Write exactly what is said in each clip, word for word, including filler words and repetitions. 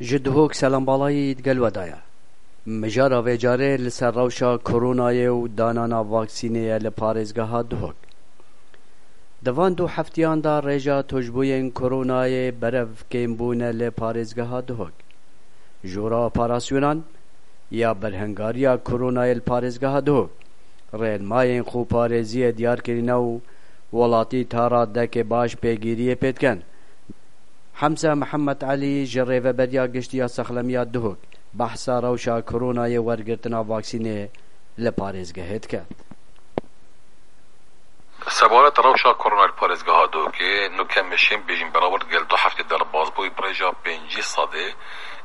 Ji Duhok selambalayî digel we de ye. Mijara vê carê li ser rewşa koronayê û danana vaksînê ye li parêzgeha Duhok. Di van du heftiyan de rêja tûşbûyên koronayê berev kêm bûne li parêzgeha Duhok. Jora operasyonan ya berhengariya koronayê li parêzgeha Duhok rênmayên xweparêziyê diyar kirine û welatî ta radekê baş pêgîriyê pê dikin. Hemza Mihemed Elî ji Rêveberiya Giştî ya Saxlemiya Duhok behsa rewşa koronayê wergirtina vaksînê li parêzgehê dike. Sebaret rewşa korona li parêzgeha Duhokê, nûke em ê şên bêjin beraber gel du heftê derbas bûyî bi rêja pêncî sedê,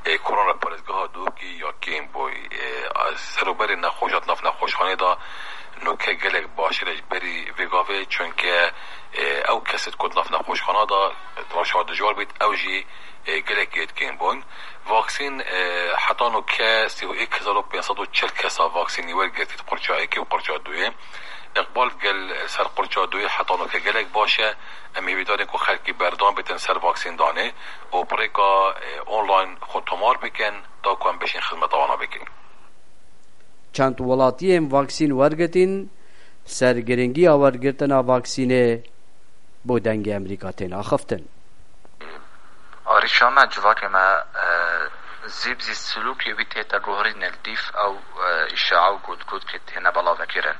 e, korona li parêzgeha Duhokê ya kêm bûyî. E, serûberê nexweşat nav nexweşxanê de nûke gelek baştir e ji berî vê gavê, çunke, e, ew kesê ku di nav nexweşxana de rewşa dijwar bît, ew jî, e, gelek yê kêm bûn. Vaksîn, e, heta nûke sî û yek hezar û pênc sed û çil kesa vaksînî wergirtî di qurça yekê û qurça duyê. Îqbal gel ser qurça duyê heta nûke gelek baş e. Em hêvîdar in ku xelkî berdewam bitin ser vaksîndanê û bi rêka, e, online xwe tomar bikin, da ku em bişên xizmeta wana bikin. Çend welatiyên vaksîn wergirtîn, ser giringiya wergirtina vaksînê bo Dengê Amerîka tên axiftin. Arîşa me, civakê me, e, zîb zî silûkê wî tête guherîn li dîv ew, e, îşae û gotgotkê têne belavekirin.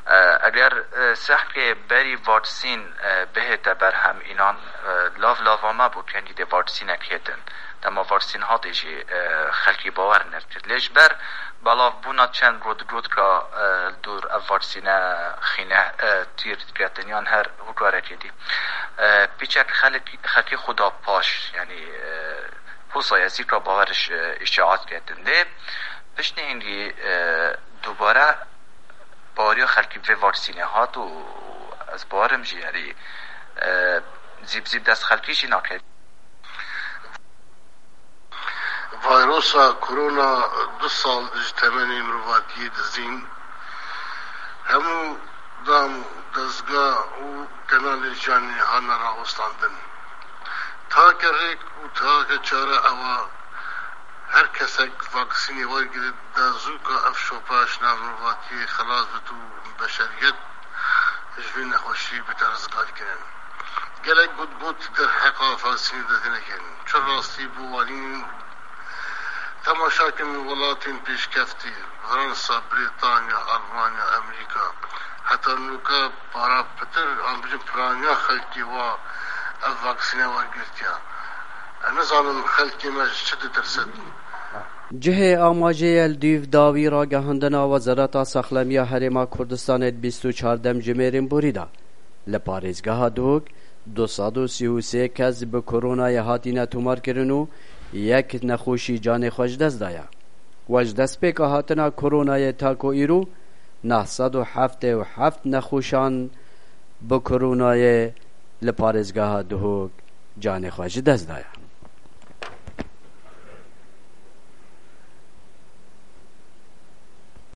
E, eger, e, sehkê berî vaksîn, e, bihête berhem înan, e, lav lava me bû kengî dê vaksînek hêtin. Dema vaksîn hatê jî, e, xelkî bawer nedikir. Lê ji ber belavbûna çend gotgotka, e, li dûr ev vaksîne xîne, e, tîr diketin yan her hokarekê dî. E, piçek xelk-, xelkê xwe da paş, yanî, e, husa ye zîka bawer ji, e, îşaet ketin. Lê piştî hingî, e, dubare baweriya xelkî vê vaksînê hat û ez bawerim jî, yanî, e, zîb zîb dest xelkî jî nake. Vayrosa korona du sal ji temenê mirovatiyê dizîn. Hemû dam, dezga û kenalên jiyanê hane rawestandin. Take rêk û take çare ew e, her kesek vaksînê wergirit, da zûka ev şopa ji nav mirovatiyê xelas bit û beşeriyet ji vê nexweşî bite rizgarkirin. Gelek gotgot derheqa vaksînê de têne kirin. Çi rastî bo wanîn? Temaşa kin welatên pêşkeftî, Fransa, Brîtanya, Almanya, Amerîka. Heta nûke para pitir, an bijin piraniya xelkê wa ev vaksîne wergirtiye. Ez nizanim xelkê me ji çi ditirsin. Cihê amajê ye li dûv dawî ragihandina Wezareta Saxlemiya Herêma Kurdistanê di bîst û çardem jimêrên borî de. Li parêzgeha Duhok du sed û sî û sê kes bi koronayê hatine tomarkirin û yek nexweşî canê xwe ji dest daye. We ji destpêka hatina koronayê ta ku îro neh sed û heftê û heft nexweşan bi koronayê li parêzgeha Duhok canê xwe ji dest daye.